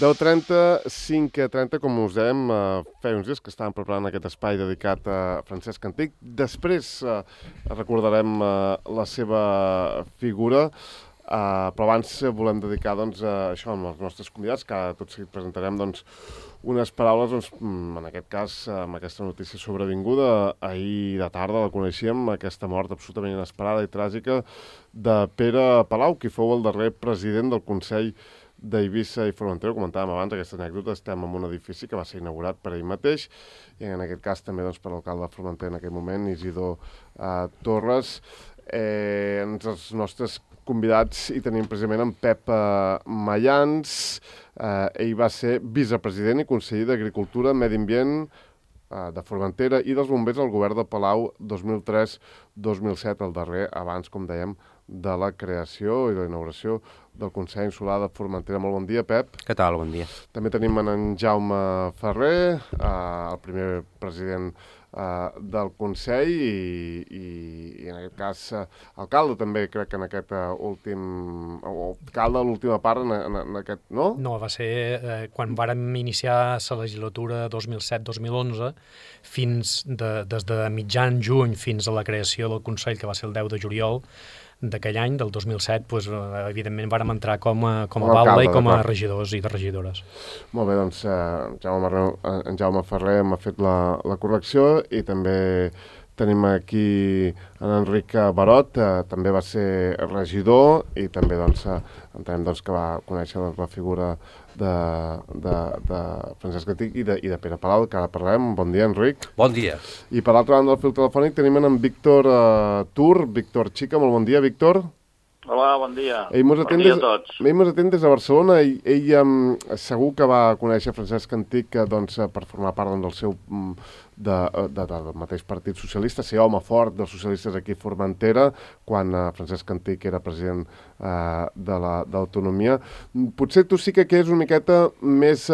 10:30, 5:30, com us dèiem, feia uns dies que estàvem preparant aquest espai dedicat a Francesc Antich. Després recordarem la seva figura, però abans volem dedicar a això amb els nostres convidats, que ara tot seguit presentarem unes paraules, en aquest cas, amb aquesta notícia sobrevinguda. Ahir de tarda la coneixíem, aquesta mort absolutament inesperada i tràgica de Pere Palau, qui fou el darrer president del Consell d'Eivissa i Formentera. Ho comentàvem abans, aquesta anècdota. Estem en un edifici que va ser inaugurat per ell mateix, i en aquest cas també per l'alcalde de Formentera en aquell moment, Isidor Torres. Entre els nostres convidats hi tenim precisament en Pep Mayans. Ell va ser vicepresident i conseller d'Agricultura, Medi Ambient de Formentera i dels bombers al govern de Palau 2003-2007, el darrer abans, com dèiem, de la creació i de la inauguració del Consell Insular de Formentera. Molt bon dia, Pep. Què tal? Bon dia. També tenim en Jaume Ferrer, el primer president del Consell i en aquest cas alcalde també, crec que en aquest alcalde de l'última part en aquest, no? No, va ser quan vàrem iniciar la legislatura 2007-2011 des de mitjan juny fins a la creació del Consell, que va ser el 10 de juliol d'aquell any, del 2007, evidentment vàrem entrar com a baula i com a regidors i de regidores. Molt bé, doncs en Jaume Ferrer m'ha fet la correcció, i també tenim aquí en Enric Barot, també va ser regidor, i també entenem que va conèixer la figura de Francesc Antich i de Pere Palau, que ara parlem. Bon dia, Enric. Bon dia. I per l'altra banda del fil telefònic tenim en Víctor Tur, Víctor Xica. Molt bon dia, Víctor. Hola, bon dia. Bon dia a tots. Ell mos atén des de Barcelona, i ell segur que va conèixer Francesc Antich per formar part del seu del mateix Partit Socialista, ser home fort dels socialistes aquí a Formentera, quan Francesc Antich era president de l'Autonomia. Potser tu sí que és una miqueta més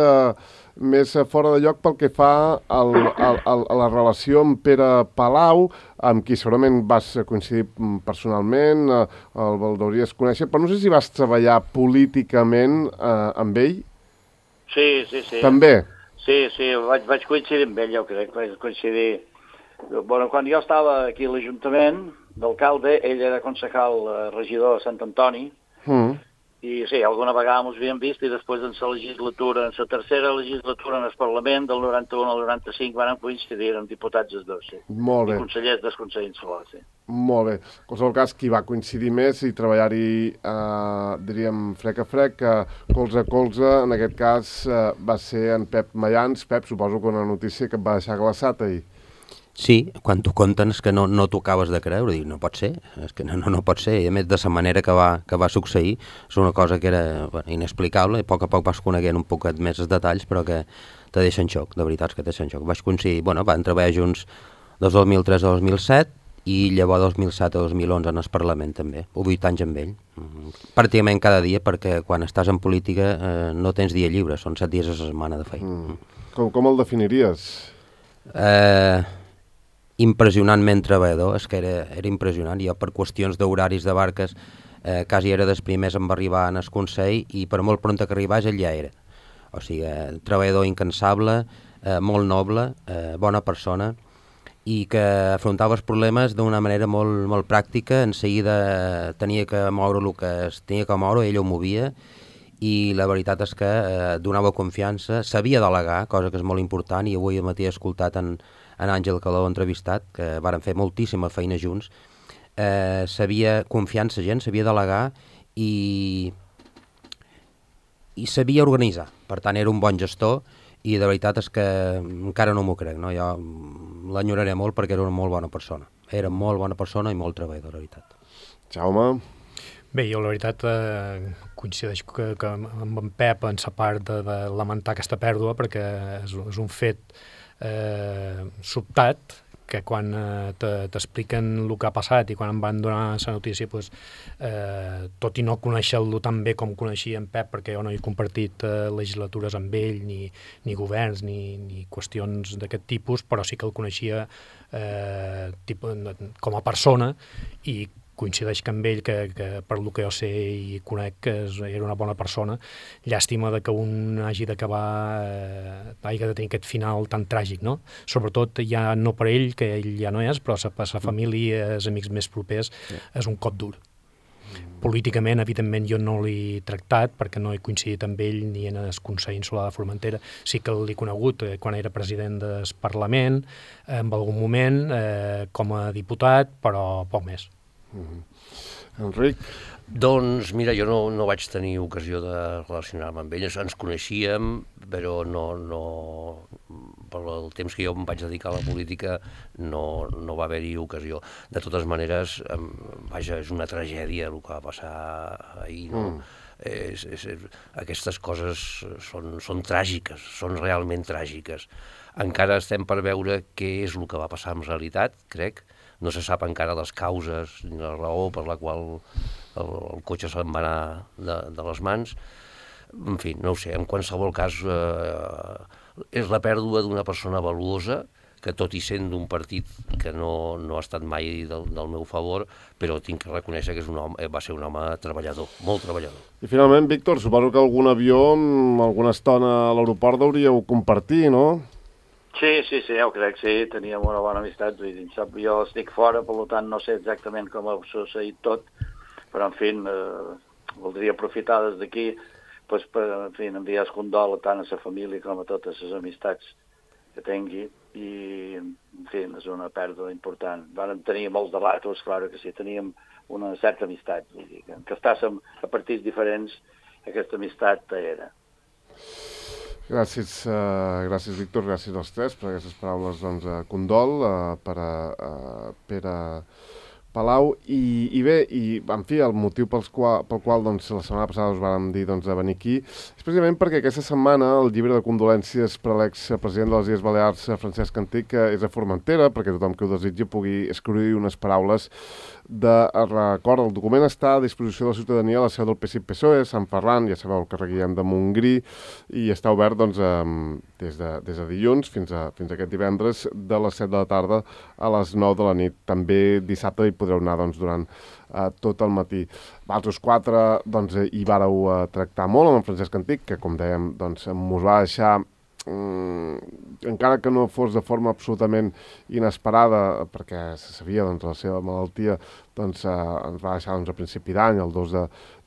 fora de lloc pel que fa a la relació amb Pere Palau, amb qui segurament vas coincidir personalment, el deuries conèixer, però no sé si vas treballar políticament amb ell. Sí. També? Sí, vaig coincidir amb ell, jo crec, vaig coincidir. Quan jo estava aquí a l'Ajuntament d'alcalde, ell era concejal regidor de Sant Antoni, i sí, alguna vegada ens havíem vist, i després en la tercera legislatura en el Parlament, del 91 al 95, van coincidir amb diputats els dos, sí. Molt bé. I consellers del Consell Insular, sí. Molt bé. En qualsevol cas, qui va coincidir més i treballar-hi, diríem, frec a frec, colze a colze, en aquest cas va ser en Pep Mayans. Pep, suposo que una notícia que et va deixar glaçat ahir. Sí, quan t'ho conten és que no t'ho acabes de creure, no pot ser, és que no pot ser, i a més de la manera que va succeir, és una cosa que era inexplicable, i a poc vas coneguent un poquet més els detalls, però que te deixen xoc, de veritat que te deixen xoc. Vaig coincidir, van treballar junts des 2003 a 2007, i llavors 2007 a 2011 en el Parlament també, 8 anys amb ell, pràcticament cada dia, perquè quan estàs en política no tens dia lliure, són 7 dies a la setmana de feina. Com el definiries? Impressionantment treballador, és que era impressionant. Jo, per qüestions d'horaris de barques, quasi era dels primers en arribar en el Consell, i per molt pront que arribés ell ja era. O sigui, treballador incansable, molt noble, bona persona, i que afrontava els problemes d'una manera molt, molt pràctica. En seguida tenia que moure el que es tenia que moure, ell ho movia, i la veritat és que donava confiança, sabia delegar, cosa que és molt important, i avui matí he escoltat en Àngel Caló entrevistat, que varen fer moltíssima feina junts. Sabia confiar en la gent, sabia delegar i sabia organitzar. Per tant, era un bon gestor, i de veritat és que encara no m'ho crec, no? Jo l'enyoraré molt perquè era una molt bona persona. Era molt bona persona i molt treballador, de veritat. Jaume? Bé, jo la veritat coincideixo que amb en Pep en la part de lamentar aquesta pèrdua, perquè és un fet sobtat, que quan t'expliquen el que ha passat i quan em van donar la notícia, tot i no conèixer-lo tan bé com coneixia en Pep, perquè jo no he compartit legislatures amb ell, ni governs, ni qüestions d'aquest tipus, però sí que el coneixia com a persona, i coincideix que amb ell, que per lo que jo sé i conec, que era una bona persona. Llàstima de que un hagi d'acabar, hagi de tenir aquest final tan tràgic, no? Sobretot ja no per ell, que ell ja no és, però per sa família, els amics més propers, és un cop dur. Políticament, evidentment, jo no l'he tractat perquè no he coincidit amb ell ni en el Consell Insular de Formentera. Sí que l'he conegut quan era president del Parlament, en algun moment, com a diputat, però poc més. Enric? Doncs mira, jo no vaig tenir ocasió de relacionar-me amb ell, ens coneixíem, però no, per el temps que jo em vaig dedicar a la política no va haver-hi ocasió. De totes maneres, vaja, és una tragèdia el que va passar ahir, no? Aquestes coses són tràgiques, són realment tràgiques. Encara estem per veure què és el que va passar en realitat, crec. No se sap encara les causes ni la raó per la qual el cotxe se'n va anar de les mans. En fi, no ho sé, en qualsevol cas és la pèrdua d'una persona valuosa que tot i sent d'un partit que no ha estat mai del meu favor, però tinc que reconèixer que va ser un home treballador, molt treballador. I finalment, Víctor, suposo que algun avió, alguna estona a l'aeroport hauríeu compartir, no? Sí, ja ho crec, sí, teníem una bona amistat, vull dir, jo estic fora, per tant no sé exactament com ha succeït tot, però en fi, voldria aprofitar des d'aquí per enviar el condol tant a la família com a totes les amistats que tingui, i en fi, és una pèrdua important. Vam tenir molts debats, clar que sí, teníem una certa amistat, vull dir, que estàssim a partits diferents, aquesta amistat era. Gràcies, Víctor, gràcies als tres per aquestes paraules, doncs, condol per a Pere Palau. I bé, en fi, el motiu pel qual doncs, la setmana passada us vàrem dir de venir aquí és precisament perquè aquesta setmana el llibre de condolències per a l'expresident de les Illes Balears, Francesc Antich, és a Formentera, perquè tothom que ho desitgi pugui escriure unes paraules de record. El document està a disposició de la ciutadania a la seu del PSC-PSOE, Sant Ferran, ja sabeu, el carrer Guillem de Montgrí, i està obert doncs, des de dilluns fins a aquest divendres de les 7 de la tarda a les 9 de la nit. També dissabte hi podreu anar doncs, durant tot el matí. Vosaltres quatre doncs, hi vàreu tractar molt amb en Francesc Antich, que com dèiem doncs, mos va deixar encara que no fos de forma absolutament inesperada, perquè se sabia doncs, la seva malaltia, doncs, ens va deixar doncs, a principi d'any, el 2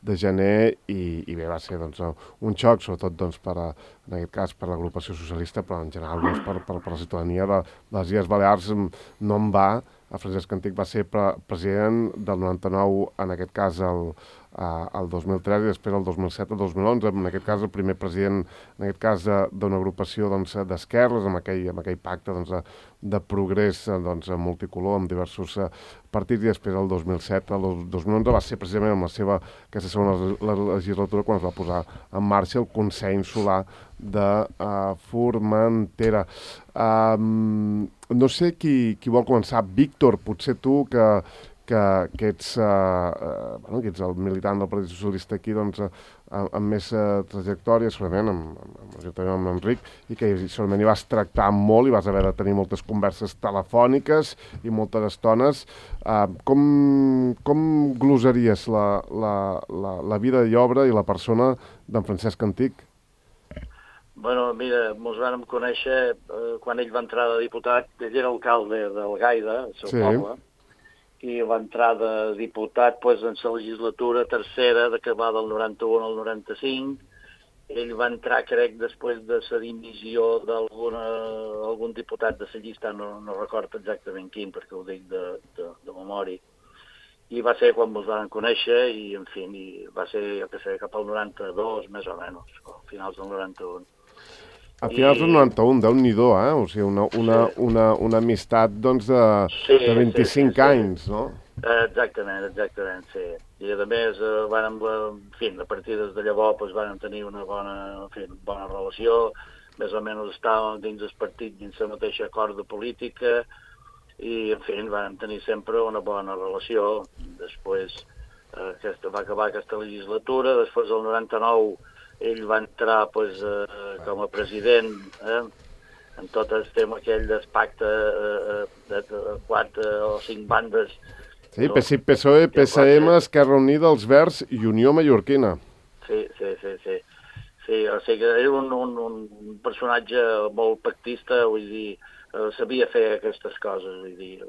de gener, i bé, va ser doncs, un xoc, sobretot doncs, en aquest cas per l'agrupació socialista, però en general doncs, per la ciutadania de les Illes Balears no en va. El Francesc Antich va ser president del 99, en aquest cas el 2003 i després el 2007 al 2011, en aquest cas el primer president d'una agrupació d'esquerres, amb aquell pacte de progrés multicolor amb diversos partits, i després el 2007, el 2011 va ser precisament amb aquesta segona legislatura quan es va posar en marxa el Consell Insular de Formentera. No sé qui vol començar. Víctor, potser tu que ets el militant del Partit Socialista aquí, doncs, amb més trajectòria, segurament, amb Enric, i que segurament hi vas tractar molt i vas haver de tenir moltes converses telefòniques i moltes estones. Com glosaries la vida i obra i la persona d'en Francesc Antich? Bueno, mira, ens vam conèixer quan ell va entrar de diputat. Ell era alcalde del Gaida, el seu poble, i va entrar de diputat en la legislatura tercera, que va del 91 al 95. Ell va entrar, crec, després de la dimissió d'algun diputat de la llista, no recordo exactament quin, perquè ho dic de memòria. I va ser quan ens vam conèixer, i en fi, va ser, jo què sé, cap al 92, més o menys, a finals del 91. A finals del 91, Déu-n'hi-do, O sigui, una amistat, doncs, de 25 anys, no? Exactament, sí. I a més, a partir de llavors vam tenir una bona relació, més o menys estàvem dins del partit, dins la mateixa corda política, i, en fi, vam tenir sempre una bona relació. Després va acabar aquesta legislatura, després del 99 ell va entrar com a president en tot el tema aquell del pacte de 4 o 5 bandes Sí, PSOE, PSM, Esquerra Unida, els Verds i Unió Mallorquina. Sí, o sigui que era un personatge molt pactista, vull dir, sabia fer aquestes coses, vull dir.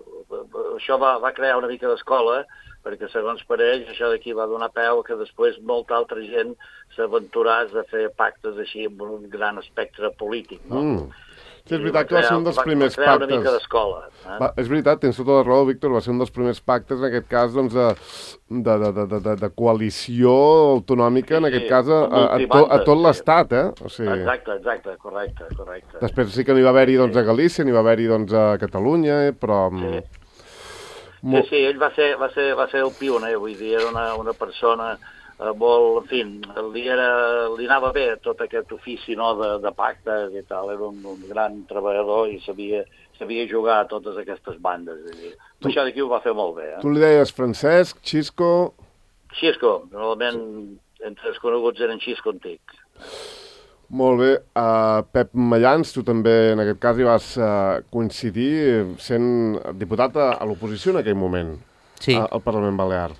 Això va crear una mica d'escola, perquè segons per ells això d'aquí va donar peu que després molta altra gent s'aventuràs a fer pactes així amb un gran espectre polític, no? Sí, és veritat que va ser un dels primers pactes. Va crear una mica d'escola. És veritat, tens tota la raó, Víctor, va ser un dels primers pactes, en aquest cas, doncs, de coalició autonòmica, en aquest cas, a tot l'Estat, O sigui... Exacte, correcte. Després sí que n'hi va haver-hi, doncs, a Galícia, n'hi va haver-hi, doncs, a Catalunya, però... Sí, ell va ser el pioner, vull dir, era una persona... molt, en fi, li anava bé tot aquest ofici, no, de pactes i tal, era un gran treballador i sabia jugar a totes aquestes bandes. Això d'aquí ho va fer molt bé. Tu li deies Francesc, Xisco... Xisco, normalment entre els coneguts eren Xisco antic. Molt bé. Pep Mallans, tu també en aquest cas hi vas coincidir sent diputat a l'oposició en aquell moment, sí, al Parlament Balear.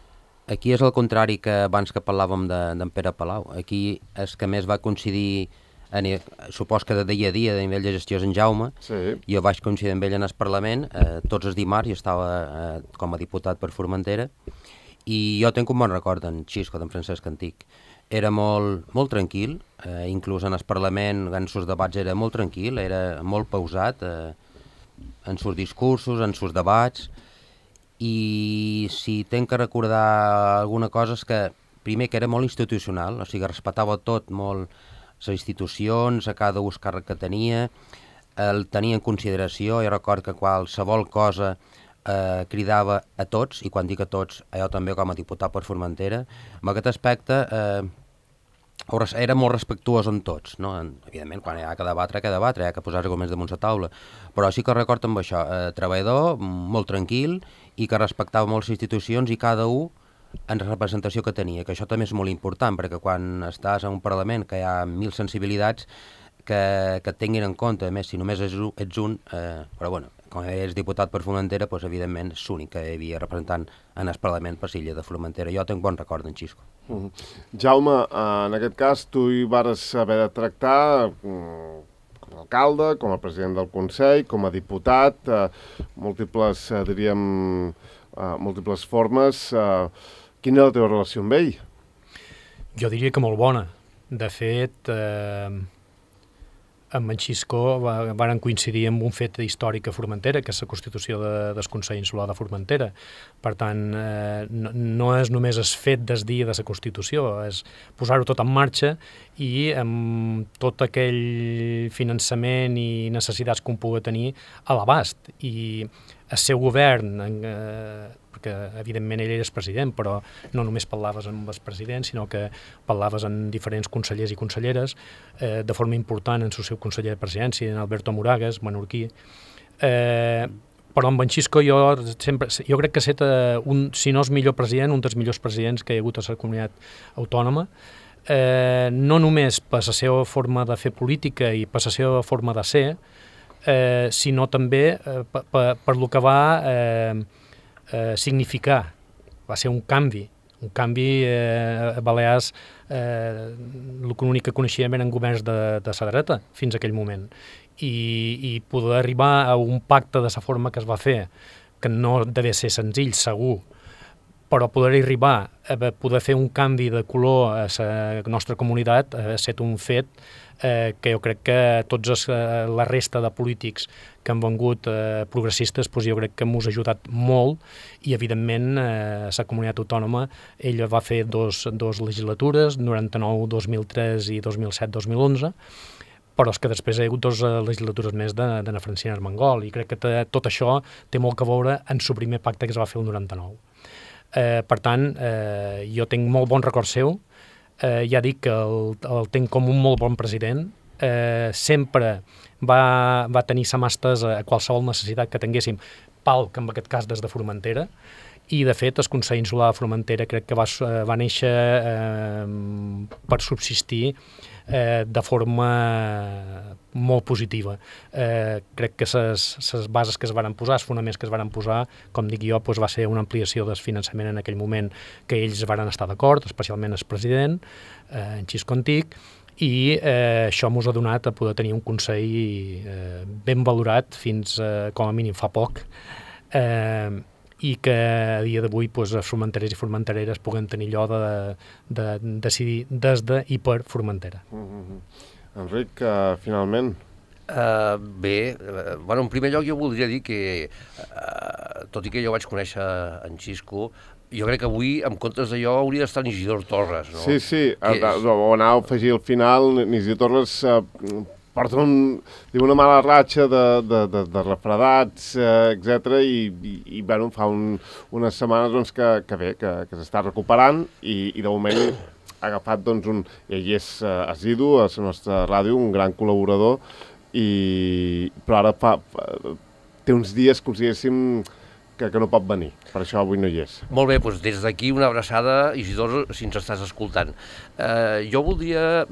Aquí és el contrari que abans que parlàvem d'en Pere Palau. Aquí és que més va coincidir, supos que de dia a dia, de nivell de gestió és en Jaume. Sí. Jo vaig coincidir amb ell en el Parlament, tots els dimarts, jo estava com a diputat per Formentera, i jo tenc un bon record d'en Xisco, d'en Francesc Antic. Era molt tranquil, inclús en el Parlament, en els debats era molt tranquil, era molt pausat, en els discursos, en els debats. I si tenc que recordar alguna cosa és que, primer, que era molt institucional, o sigui, respectava tot molt les institucions, a cada ús càrrec que tenia, el tenia en consideració. Jo record que qualsevol cosa cridava a tots, i quan dic a tots, jo també com a diputat per Formentera. En aquest aspecte era molt respectuós amb tots, no? Evidentment, quan hi ha que debatre, hi ha que posar arguments damunt la taula, però sí que record amb això, treballador, molt tranquil, i que respectava molt les institucions i cada un en representació que tenia, que això també és molt important, perquè quan estàs en un Parlament que hi ha 1000 sensibilitats, que et tinguin en compte, a més, si només ets un, però bueno, com és diputat per Formentera, doncs, evidentment és l'únic que hi havia representant en el Parlament per l'illa de Formentera. Jo tinc bon record d'en Xisco. Jaume, en aquest cas tu hi vares haver de tractar com a alcalde, com a president del Consell, com a diputat, múltiples formes. Quina era la teva relació amb ell? Jo diria que molt bona. De fet, amb en Xisco varen coincidir amb un fet històric a Formentera, que és la constitució del Consell Insular de Formentera. Per tant, no és només el fet del dia de la Constitució, és posar-ho tot en marxa i amb tot aquell finançament i necessitats que un pugui tenir a l'abast. I el seu govern, perquè evidentment ell era el president, però no només parlaves amb el president, sinó que parlaves amb diferents consellers i conselleres, de forma important en el seu conseller de presidència, en Alberto Moragas, menorquí. Però amb en Xisco jo crec que ha estat, si no és millor president, un dels millors presidents que hi ha hagut a la comunitat autònoma, no només per la seva forma de fer política i per la seva forma de ser, sinó també per lo que va significar. Va ser un canvi a Balears. L'únic que coneixíem eren governs de la dreta fins a aquell moment, i poder arribar a un pacte de la forma que es va fer, que no deve ser senzill, segur, però poder arribar a poder fer un canvi de color a la nostra comunitat ha estat un fet que jo crec que tots la resta de polítics que han vengut progressistes, doncs jo crec que m'ho ha ajudat molt, i evidentment la comunitat autònoma, ella va fer dos legislatures, 99, 2003 i 2007-2011, però és que després hi ha hagut 2 legislatures més d'Anna Francina Armengol, i crec que tot això té molt que veure en el primer pacte que es va fer el 99. Per tant, jo tinc molt bon record seu, ja dic que el tinc com un molt bon president, sempre va tenir sa mà estesa a qualsevol necessitat que tinguéssim, palc en aquest cas des de Formentera, i de fet el Consell Insular de Formentera crec que va néixer per subsistir de forma molt positiva. Crec que les bases que es van posar, els fonaments que es van posar, com dic jo, va ser una ampliació del finançament en aquell moment que ells van estar d'acord, especialment el president, en Xisco Antic, i això ens ha donat a poder tenir un Consell ben valorat fins com a mínim fa poc, i que a dia d'avui els formenterers i formentereres puguen tenir allò de decidir des de i per Formentera. Enric, finalment... Bé, en primer lloc jo voldria dir que, tot i que jo vaig conèixer en Xisco, jo crec que avui, en comptes d'allò, hauria d'estar en Isidor Torres, no? Sí, ho anava a afegir al final, Isidor Torres porta una mala ratxa de refredats, etc. I bueno, fa unes setmanes que bé, que s'està recuperant i de moment ha agafat ell és assidu a la nostra ràdio, un gran col·laborador, però ara té uns dies, consideréssim, que no pot venir, per això avui no hi és. Molt bé, doncs des d'aquí una abraçada, Isidor, si ens estàs escoltant. Jo voldria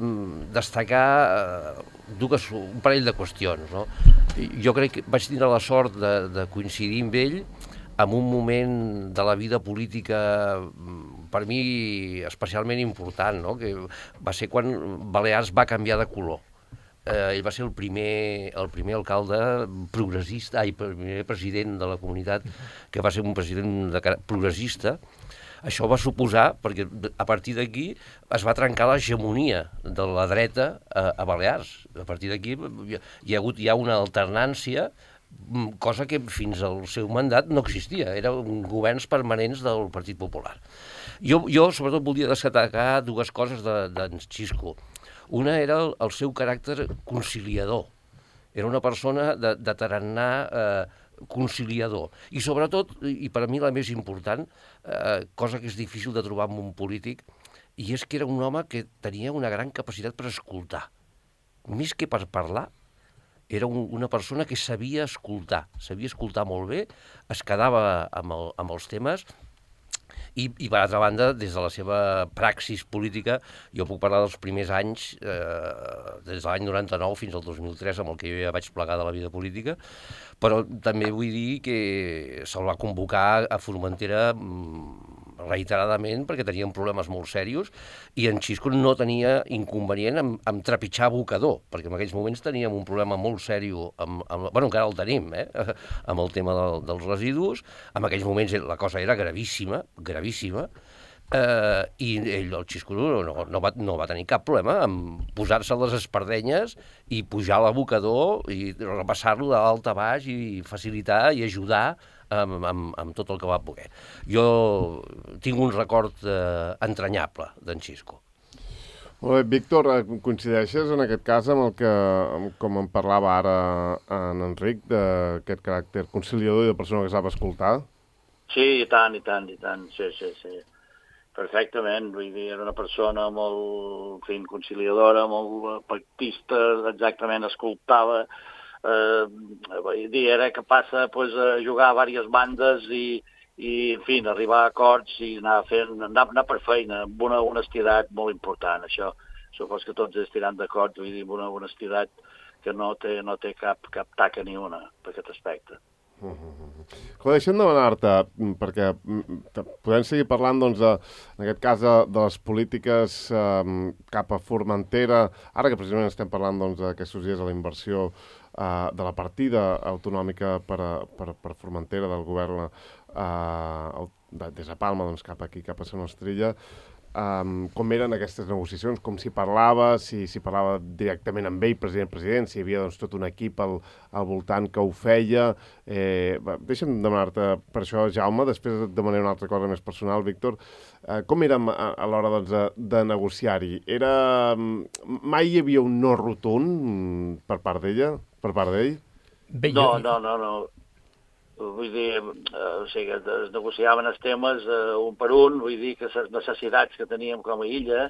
destacar un parell de qüestions, no? Jo crec que vaig tenir la sort de coincidir amb ell en un moment de la vida política per mi especialment important, no? Que va ser quan Balears va canviar de color. Ell va ser el primer alcalde progressista, el primer president de la comunitat que va ser un president progressista. Això va suposar, perquè a partir d'aquí es va trencar l'hegemonia de la dreta a Balears. A partir d'aquí hi ha hagut una alternància, cosa que fins al seu mandat no existia, eren governs permanents del Partit Popular. Jo sobretot volia destacar dues coses d'en Xisco. Una era el seu caràcter conciliador. Era una persona de tarannà conciliador. I sobretot, i per a mi la més important, cosa que és difícil de trobar en un polític, i és que era un home que tenia una gran capacitat per escoltar. Més que per parlar, era una persona que sabia escoltar molt bé, es quedava amb els temes. I per altra banda, des de la seva praxis política, jo puc parlar dels primers anys, des de l'any 99 fins al 2003, amb el que jo ja vaig plegar de la vida política, però també vull dir que se'l va convocar a Formentera reiteradament perquè tenien problemes molt serios i en Xisco no tenia inconvenient en trepitjar abocador, perquè en aquells moments teníem un problema molt seriós, encara el tenim, amb el tema dels residus. En aquells moments la cosa era gravíssima, i ell, el Xisco, no va tenir cap problema en posar-se les espardenyes i pujar a l'abocador i repassar-lo de dalt a baix i facilitar i ajudar amb tot el que va poder. Jo tinc un record entranyable d'en Xisco. Molt bé, Víctor, coincideixes en aquest cas amb el que, com en parlava ara en Enric, d'aquest caràcter conciliador i de persona que sap escoltar? Sí, i tant, sí. Perfectament, vull dir, era una persona molt conciliadora, molt pactista, exactament, escoltava. Vull dir, era capaç a jugar a diverses bandes i en fi, arribar a acords i anar per feina, amb una honestitat molt important. Això supos que tots estiran d'acord, vull dir, amb una honestitat que no té cap taca ni una per aquest aspecte. Deixa'm demanar-te, perquè podem seguir parlant, doncs, en aquest cas, de les polítiques cap a Formentera, ara que precisament estem parlant, doncs, aquests dies de la inversió de la partida autonòmica per Formentera del govern des de Palma, doncs, cap aquí, cap a Sant Ostrilla. Com eren aquestes negociacions, com s'hi parlava, si parlava directament amb ell, president, si hi havia doncs, tot un equip al voltant que ho feia. Deixa'm demanar-te per això, Jaume, després de manera una altra cosa més personal, Víctor, com érem a l'hora doncs, de negociar-hi? Mai hi havia un no rotund per part d'ell? No. Vull dir, es negociaven els temes un per un, vull dir que les necessitats que teníem com a illa,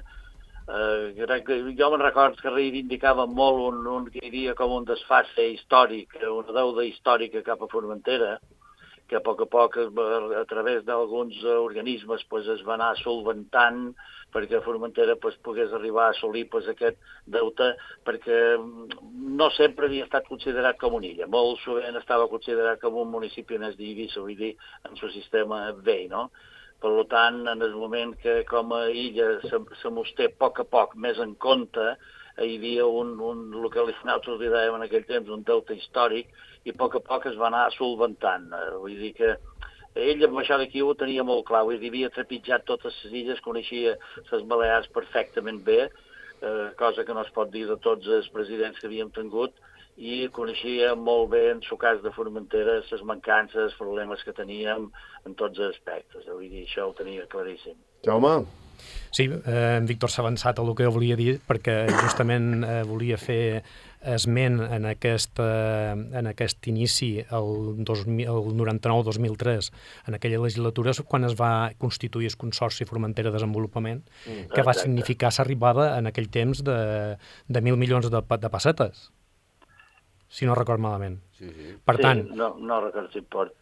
crec que jo me'n recordo que reivindicaven molt que hi havia com un desfase històric, una deuda històrica cap a Formentera, que a poc, a través d'alguns organismes es va anar solventant perquè Formentera pogués arribar a assolir aquest deute, perquè no sempre havia estat considerat com una illa. Molt sovint estava considerat com un municipi més d'Eivissa, vull dir, en el sistema vell, no? Per tant, en el moment que com a illa se mos té a poc més en compte, hi havia el que nosaltres li dèiem en aquell temps, un deute històric, i a poc es va anar solventant. Vull dir que ell amb això d'aquí ho tenia molt clar, vull dir, havia trepitjat totes les illes, coneixia les Balears perfectament bé, cosa que no es pot dir de tots els presidents que havíem tingut, i coneixia molt bé, en el cas de Formentera, les mancances, els problemes que teníem en tots els aspectes. Vull dir, això ho tenia claríssim. Jaume? Sí, en Víctor s'ha avançat a el que jo volia dir, perquè justament volia fer esment en aquest inici, el 99-2003, en aquella legislatura, quan es va constituir el Consorci Formentera de Desenvolupament, que va significar l'arribada en aquell temps de 1.000 milions de pessetes, si no record malament. Sí. Per tant, no recordo si pot...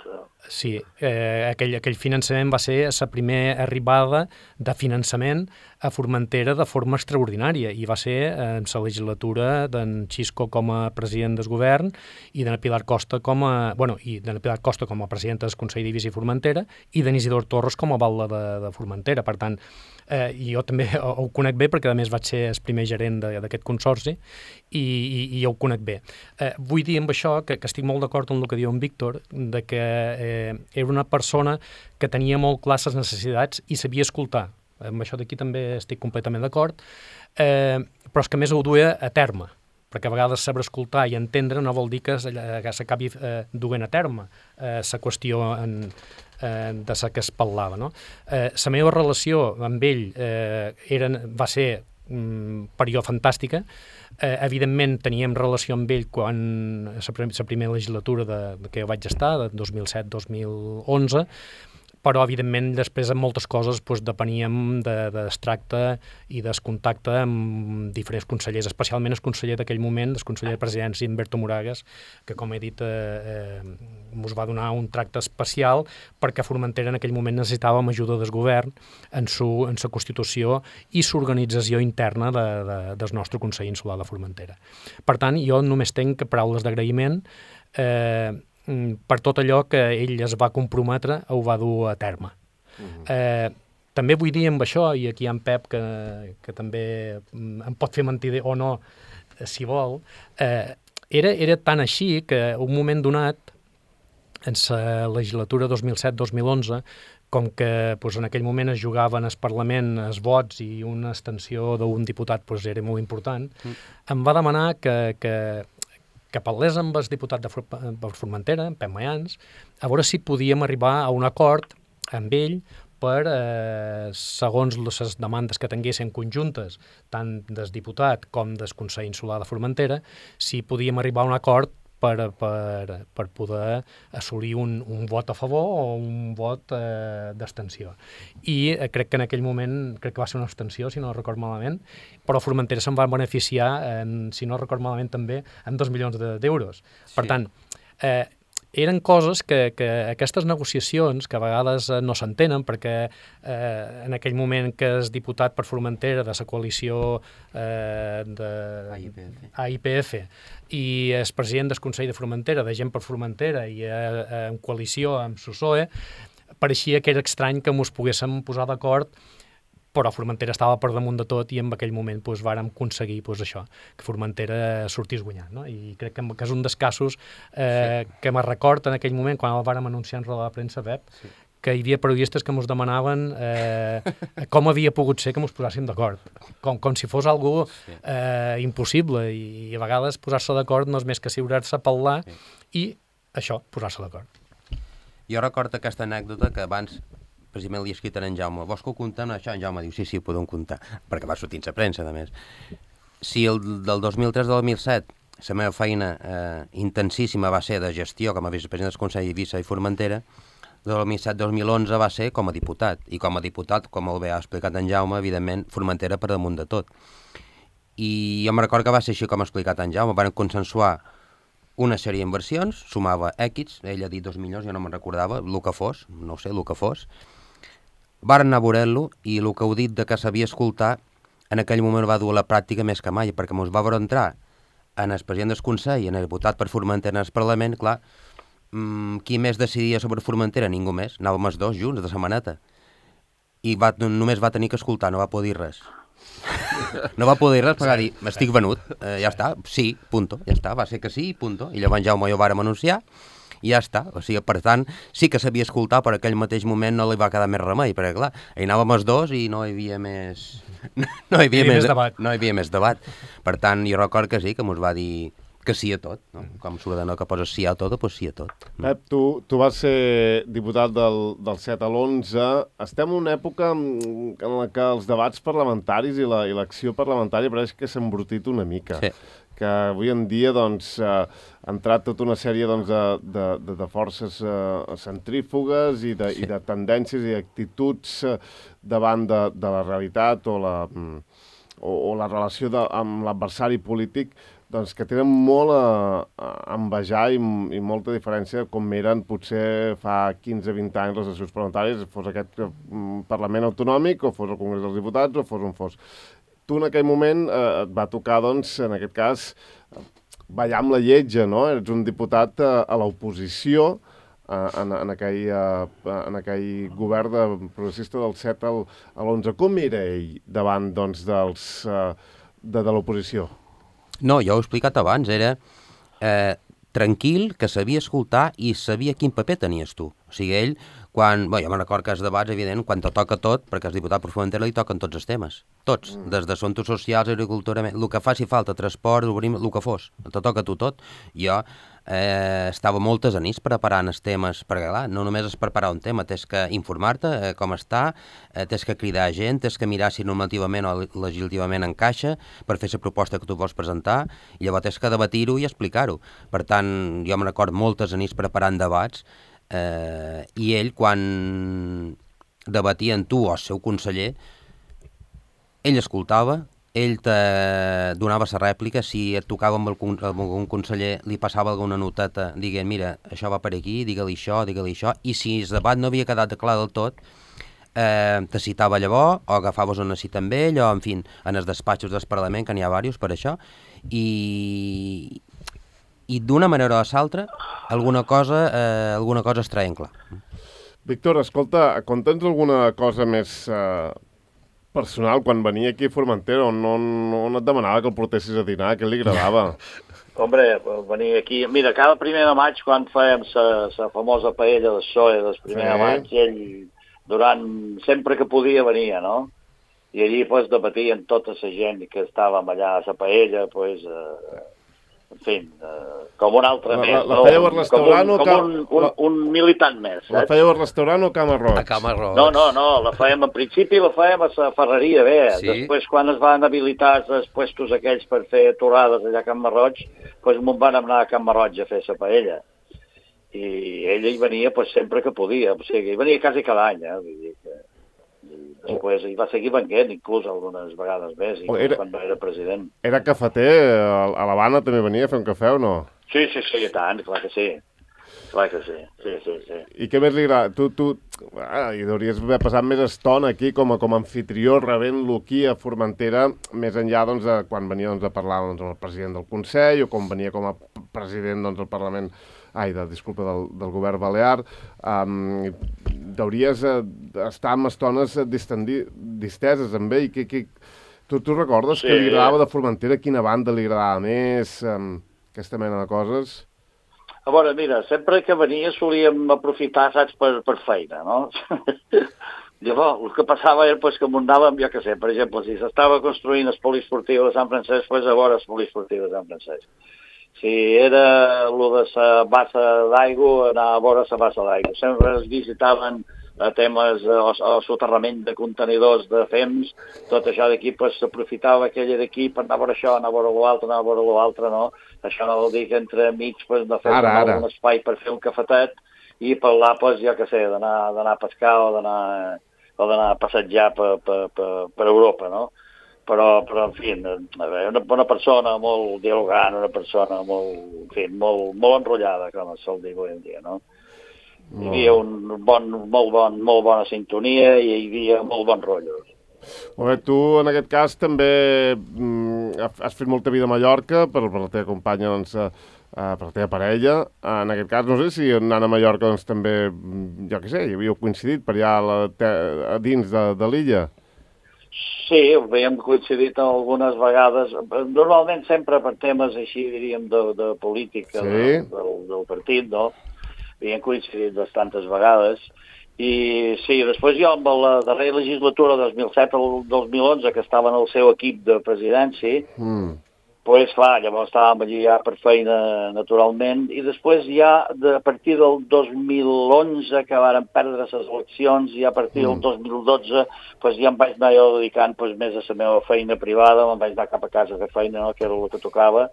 Sí, aquell finançament va ser la primera arribada de finançament a Formentera de forma extraordinària, i va ser en la legislatura d'en Xisco com a president del govern i d'en Pilar Costa com a presidenta del Consell d'Eivissa i Formentera i d'en Isidor Torres com a batlle de Formentera. Per tant, jo també ho conec bé perquè a més vaig ser el primer gerent d'aquest consorci i jo ho conec bé. Vull dir amb això que estic molt d'acord amb el que diu en Víctor, de que era una persona que tenia molt clar les necessitats i sabia escoltar. Amb això d'aquí també estic completament d'acord, però és que més ho duia a terme, perquè a vegades saber escoltar i entendre no vol dir que s'acabi duent a terme la qüestió de la que es parlava. No? La meva relació amb ell va ser per jo fantàstica. Evidentment teníem relació amb ell quan la primera legislatura que jo vaig estar, de 2007-2011, però evidentment després en moltes coses depeníem del tracte i del contacte amb diferents consellers, especialment el conseller d'aquell moment, el conseller de Presidència, Humberto Moragas, que com he dit ens va donar un tracte especial perquè Formentera en aquell moment necessitàvem ajuda del govern en la constitució i l'organització interna del nostre Consell Insular de Formentera. Per tant, jo només tenc paraules d'agraïment per tot allò que ell es va comprometre ho va dur a terme. També vull dir amb això, i aquí hi ha en Pep que també em pot fer mentider o no, si vol, era tan així que un moment donat, en la legislatura 2007-2011, com que en aquell moment es jugaven al Parlament els vots i una abstenció d'un diputat era molt important, em va demanar que parlés amb el diputat de Formentera, en Pep Mayans, a veure si podíem arribar a un acord amb ell per, segons les demandes que tinguessin conjuntes, tant del diputat com del Consell Insular de Formentera, si podíem arribar a un acord per poder assolir un vot a favor o un vot d'abstenció. I crec que en aquell moment, crec que va ser una abstenció, si no record malament, però Formentera se'n va beneficiar, si no record malament també, en 2 milions d'euros. Per tant, eren coses que aquestes negociacions, que a vegades no s'entenen, perquè en aquell moment que és diputat per Formentera de la coalició AIPF i és president del Consell de Formentera, de Gent per Formentera i en coalició amb PSOE, pareixia que era estrany que ens poguéssim posar d'acord, però Formentera estava per damunt de tot i en aquell moment vàrem aconseguir això, que Formentera sortís guanyant. No? I crec que és un dels casos que me record en aquell moment, quan el vàrem anunciar en roda de premsa, Pep, que hi havia periodistes que ens demanaven com havia pogut ser que ens posàssim d'acord, com si fos algú impossible, i a vegades posar-se d'acord no és més que asseurar-se a parlar i això, posar-se d'acord. Jo recordo aquesta anècdota que abans precisament li he escrit a en Jaume. Vols que ho contem? Això en Jaume diu, sí, ho podem comptar, perquè va sortir a premsa, a més. Si del 2003 al 2007 la meva feina intensíssima va ser de gestió com a vicepresident del Consell d'Eivissa i Formentera, del 2007-2011 va ser com a diputat, i com a diputat, com molt bé ha explicat en Jaume, evidentment, Formentera per damunt de tot. I jo me recordo que va ser així com ha explicat en Jaume, van consensuar una sèrie d'inversions, sumava X, ell ha dit 2 milions, jo no me'n recordava, el que fos, no ho sé, el que fos. Varen anar a veure-lo i el que heu dit de que sabia escoltar, en aquell moment va dur a la pràctica més que mai, perquè mos va veure entrar en el president del Consell, en el votat per Formentera en el Parlament, clar, qui més decidia sobre Formentera? Ningú més. Anàvem els dos junts, de setmaneta. I només va tenir que escoltar, no va poder dir res. No va poder dir res, perquè va dir, estic venut, ja està, sí, punto, ja està, va ser que sí, punto. I llavors Jaume i ho vàrem anunciar, i ja està. O sigui, per tant, sí que sabia escoltar, però aquell mateix moment no li va quedar més remei, perquè clar, hi anàvem els dos i no hi havia més... No hi havia més debat. No hi havia més debat. Per tant, jo record que sí, que mos va dir que sí a tot, no? Com s'ordena que poses sí a tot, doncs sí a tot. Pep, tu vas ser diputat del 7 a l'11. Estem en una època en la que els debats parlamentaris i l'acció parlamentària pareix que s'ha embrutit una mica. Sí. Que avui en dia doncs, ha entrat tota una sèrie doncs, de forces centrífugues i de tendències i actituds davant de la realitat o la relació amb l'adversari polític doncs, que tenen molt a envejar i molta diferència com eren potser fa 15-20 anys les sessions parlamentàries, fos aquest Parlament Autonòmic o fos el Congrés dels Diputats o fos on fos. Tu en aquell moment et va tocar, doncs, en aquest cas, ballar amb la lletja, no? Eres un diputat a l'oposició en aquell govern progressista del 7 a l'11. Com era ell davant, doncs, de l'oposició? No, jo ho he explicat abans, era tranquil, que sabia escoltar i sabia quin paper tenies tu. O sigui, ell, quan... Bé, jo me'n recordo que els debats, evident, quan te toca tot, perquè als diputats per Formentera li toquen tots els temes. Tots. Des d'assumptes socials, agricultura, el que faci falta, transport, obrim, el que fos. Te toca a tu tot. Jo estava moltes nits preparant els temes, perquè clar, no només és preparar un tema, tens que informar-te com està, tens que cridar gent, tens que mirar si normativament o legislativament encaixa per fer la proposta que tu vols presentar, i llavors tens que debatir-ho i explicar-ho. Per tant, jo me'n recordo moltes nits preparant debats, i ell, quan debatia amb tu o el seu conseller, ell escoltava, ell te donava la rèplica, si et tocava amb algun conseller, li passava alguna noteta dient, mira, això va per aquí, digue-li això, i si el debat no havia quedat clar del tot, te citava llavors, o agafaves una cita amb ell, o, en fi, en els despatxos del Parlament, que n'hi ha diversos per això, i d'una manera o de l'altra, alguna cosa es treien clar. Víctor, escolta, conta'ns alguna cosa més personal, quan venia aquí a Formentera, on et demanava que el portessis a dinar, què li agradava? Hombre, venir aquí... Mira, cada 1 de maig, quan fèiem la famosa paella del PSOE del 1 de maig, ell, sempre que podia, venia, no? I allí, pues, debatien tota la gent que estàvem allà a la paella, pues... en fi, com un altre més. La fèieu al restaurant com un militant més, saps? La fèieu al restaurant o a Cama Roig? A Cama Roig. No, la fèiem, en principi la fèiem a la Ferreria, bé. Sí? Després, quan es van habilitar els puestos aquells per fer torrades allà a Cama Roig, doncs me'n van anar a Cama Roig a fer la paella. I ell hi venia pues, sempre que podia, o sigui, hi venia quasi cada any, vull dir que... Després hi va seguir venguent, inclús algunes vegades més, quan no era president. Era cafeter? A l'Havana també venia a fer un cafè o no? Sí, i tant, clar que sí. Clar que sí, sí. I què més li agrada? Tu hi hauries d'haver passat més estona aquí com a anfitrió, rebent-lo aquí a Formentera, més enllà doncs, de quan venia a parlar doncs, amb el president del Consell o com venia com a president del Parlament, del govern balear. Hauries d'estar amb estones disteses amb ell. Tu recordes que li agradava de Formentera? Quina banda li agradava més? Aquesta mena de coses? A veure, mira, sempre que venia solíem aprofitar, saps, per feina, no? Llavors, el que passava era que munàvem, jo què sé, per exemple, si s'estava construint el poliesportiu de Sant Francesc, doncs a veure el poliesportiu de Sant Francesc. Si era el de la bassa d'aigua, anar a veure la bassa d'aigua. Sempre es visitaven temes o soterrament de contenidors de fems, tot això d'aquí s'aprofitava aquella d'aquí per anar a veure això, anar a veure l'altre, no? Això no vol dir que entre amics no fem un espai per fer un cafetet i parlar, jo què sé, d'anar a pescar o d'anar a passejar per Europa, no? en fi, una persona molt dialogant, una persona molt, en fi, molt enrotllada, com es sol dir avui en dia, no? Hi havia molt bona sintonia i hi havia molt bon rotllo. Molt bé, tu en aquest cas també has fet molta vida a Mallorca per la teva companya, doncs, per la teva parella. En aquest cas, no sé si anant a Mallorca doncs, també, jo què sé, hi havíeu coincidit per allà a dins de l'illa. Sí, havíem coincidit algunes vegades, normalment sempre per temes així, diríem, de política del partit, no? Havíem coincidit bastantes vegades. I sí, després jo amb la darrera legislatura 2007 al 2011, que estava en el seu equip de presidència, doncs clar, llavors estàvem allí ja per feina naturalment, i després ja a partir del 2011 que varen perdre les eleccions, i a partir del 2012 doncs ja em vaig anar jo dedicant més a la meva feina privada, me'n vaig anar cap a casa a fer feina, no? Que era el que tocava,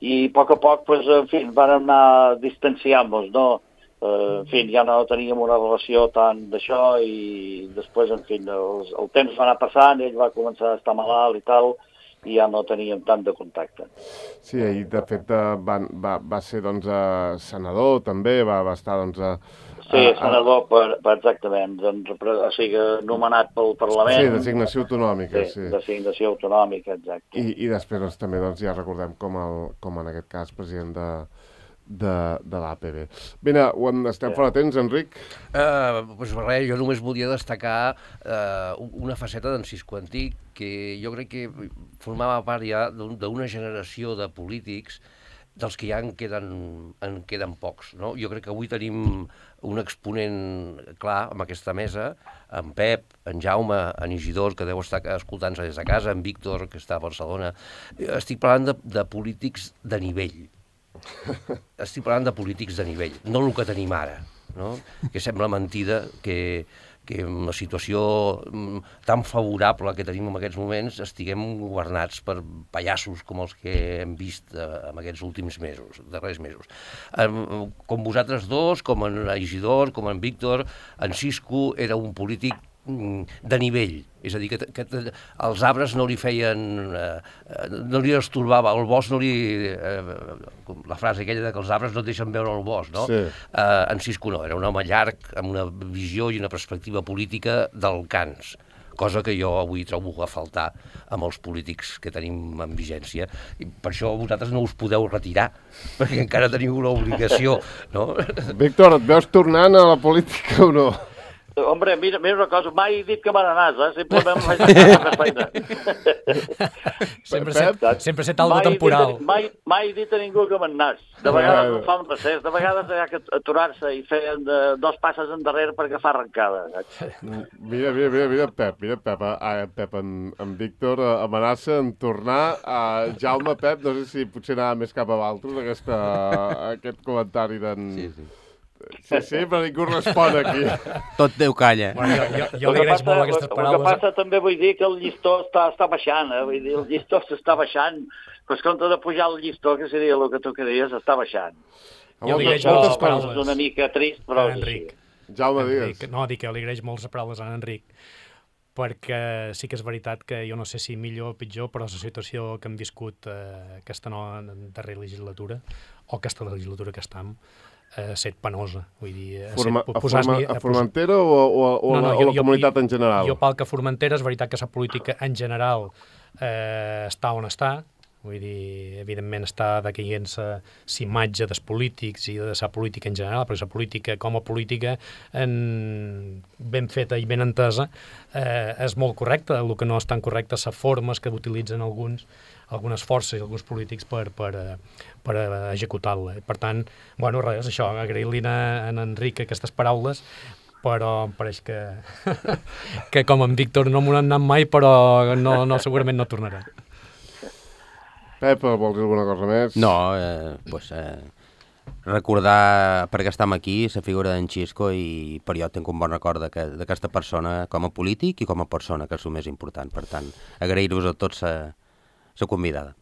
i a poc, en fi, vam anar distanciant-nos, no? En fi, ja no teníem una relació tant d'això, i després, en fi, el temps va anar passant, ell va començar a estar malalt i tal, i ja no teníem tant de contacte. Sí, i de fet va ser, doncs, senador també, va estar, doncs... Sí, senador, exactament, o sigui, nomenat pel Parlament. Sí, designació autonòmica, sí. Designació autonòmica, exacte. I després, doncs, també, doncs, ja recordem com en aquest cas, president de l'APB. Bé, estem fora de temps, Enric? Doncs res, jo només volia destacar una faceta d'en Cisco Antic, que jo crec que formava part ja d'una generació de polítics dels que ja en queden pocs, no? Jo crec que avui tenim un exponent clar amb aquesta mesa, en Pep, en Jaume, en Isidor, que deu estar escoltant-se des de casa, en Víctor, que està a Barcelona. Estic parlant de polítics de nivell. Estic parlant de polítics de nivell, no el que tenim ara, no? Que sembla mentida que en la situació tan favorable que tenim en aquests moments estiguem governats per pallassos com els que hem vist en aquests últims darrers mesos. Com vosaltres dos, com en Isidor, com en Víctor, en Cisco era un polític de nivell, és a dir, que els arbres no li feien, no li estorbava, el bosc no li... la frase aquella que els arbres no et deixen veure el bosc, no? Sí. En Cisco no, era un home llarg, amb una visió i una perspectiva política d'alcans, cosa que jo avui trobo a faltar amb els polítics que tenim en vigència. I per això vosaltres no us podeu retirar, perquè encara teniu una obligació, no? Víctor, et veus tornant a la política o no? Hombre, mira una cosa, mai he dit que me n'anàs, simplement em vaig anar a feina. Sempre ser tal de temporal. Mai he dit a ningú que me'n anàs. De vegades no fa un recés, de vegades hi ha que aturar-se i fer dos passes endarrere per agafar arrencada. Mira, Pep, en Víctor amenaça en tornar a Jaume, Pep, no sé si potser anava més cap a Valtros, aquest comentari d'en... Sí, però ningú respon aquí. Tot Déu calla. Bueno, jo li agraeix molt aquestes paraules. El que passa també vull dir que el llistó està baixant, vull dir, el llistó s'està baixant, però en compte de pujar el llistó, que seria el que tu queries, està baixant. Jo li agraeix moltes paraules. És una mica trist, però... Enric. Jaume, digues. No, dic que li agraeix moltes paraules a Enric, perquè sí que és veritat que jo no sé si millor o pitjor, però la situació que hem viscut aquesta darrera legislatura, o aquesta legislatura que estem, set penosa, vull dir... A Formentera o a la comunitat en general? Jo pel que a Formentera és veritat que la política en general està on està, vull dir, evidentment està decaient-se la imatge dels polítics i de la política en general, però la política com a política ben feta i ben entesa és molt correcta. El que no és tan correcte és les formes que utilitzen algunes forces i alguns polítics per executar-la. Per tant, bueno, res, això, agrair-li a en Enric aquestes paraules, però em pareix que com en Víctor no m'ho han anat mai, però segurament no tornarà. Pep, vols dir alguna cosa més? No, recordar, perquè estem aquí, la figura d'en Xisco, i per jo tinc un bon record d'aquesta persona com a polític i com a persona, que és el més important. Per tant, agrair-vos a tots la convidada.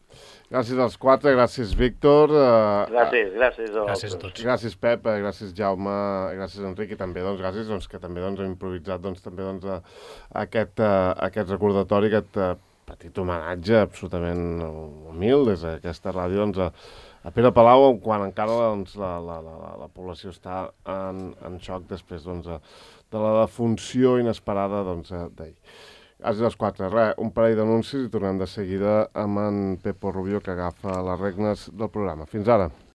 Gràcies als quatre, gràcies Víctor. Gràcies a tots. Gràcies Pep, gràcies Jaume, gràcies Enric, i també gràcies que també hem improvisat també aquest recordatori, aquest petit homenatge absolutament humil des d'aquesta ràdio a Pere Palau, quan encara la població està en xoc després de la defunció inesperada d'ahir. Quasi les 4. Un parell d'anuncis i tornem de seguida amb en Pepo Rubio, que agafa les regnes del programa. Fins ara.